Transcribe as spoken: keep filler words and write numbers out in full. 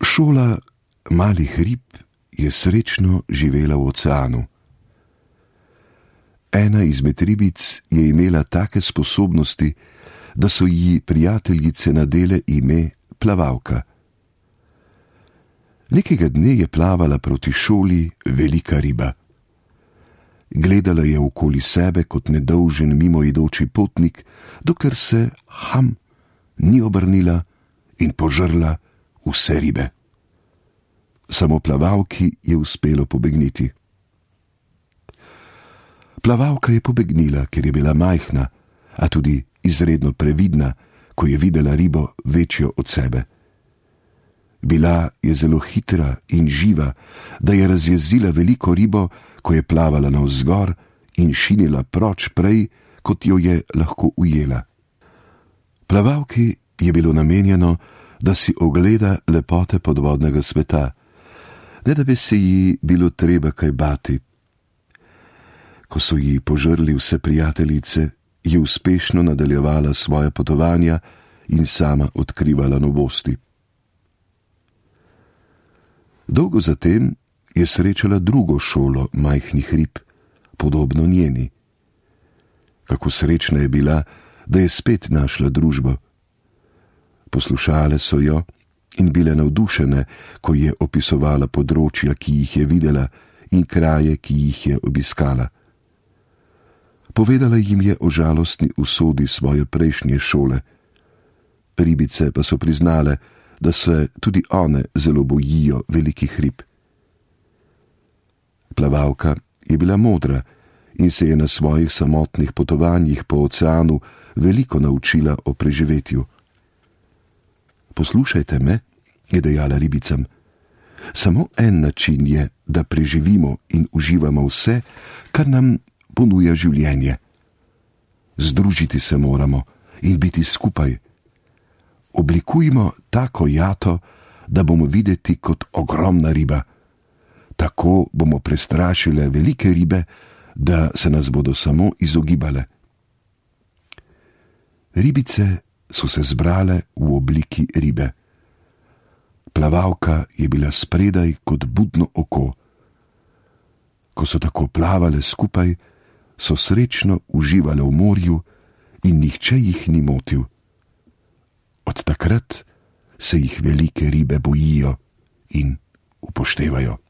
Šola malih rib je srečno živela v oceanu. Ena izmed ribic je imela take sposobnosti, da so ji prijateljice nadele ime Plavalka. Nekega dne je plavala proti šoli velika riba. Gledala je okoli sebe kot nedolžen mimoidoči potnik, dokler se, ham, ni obrnila in požrla vse ribe. Samo Plavalki je uspelo pobegniti. Plavalka je pobegnila, ker je bila majhna, a tudi izredno previdna, ko je videla ribo večjo od sebe. Bila je zelo hitra in živa, da je razjezila veliko ribo, ko je plavala navzgor in šinila proč prej, kot jo je lahko ujela. Plavalki je bilo namenjeno, da si ogleda lepote podvodnega sveta, ne da bi se ji bilo treba kaj bati. Ko so ji požrli vse prijateljice, je uspešno nadaljevala svoja potovanja in sama odkrivala novosti. Dolgo zatem je srečala drugo šolo majhnih rib, podobno njeni. Kako srečna je bila, da je spet našla družbo. Poslušale so jo in bile navdušene, ko je opisovala področja, ki jih je videla, in kraje, ki jih je obiskala. Povedala jim je o žalostni usodi svoje prejšnje šole. Ribice pa so priznale, da se tudi one zelo bojijo velikih rib. Plavalka je bila modra in se je na svojih samotnih potovanjih po oceanu veliko naučila o preživetju. Poslušajte me, je dejala ribicam. Samo en način je, da preživimo in uživamo vse, kar nam ponuja življenje. Združiti se moramo in biti skupaj. Oblikujmo tako jato, da bomo videti kot ogromna riba. Tako bomo prestrašile velike ribe, da se nas bodo samo izogibale. Ribice so se zbrale v obliki ribe. Plavalka je bila spredaj kot budno oko. Ko so tako plavale skupaj, so srečno uživale v morju in nihče jih ni motil. Od takrat se jih velike ribe bojijo in upoštevajo.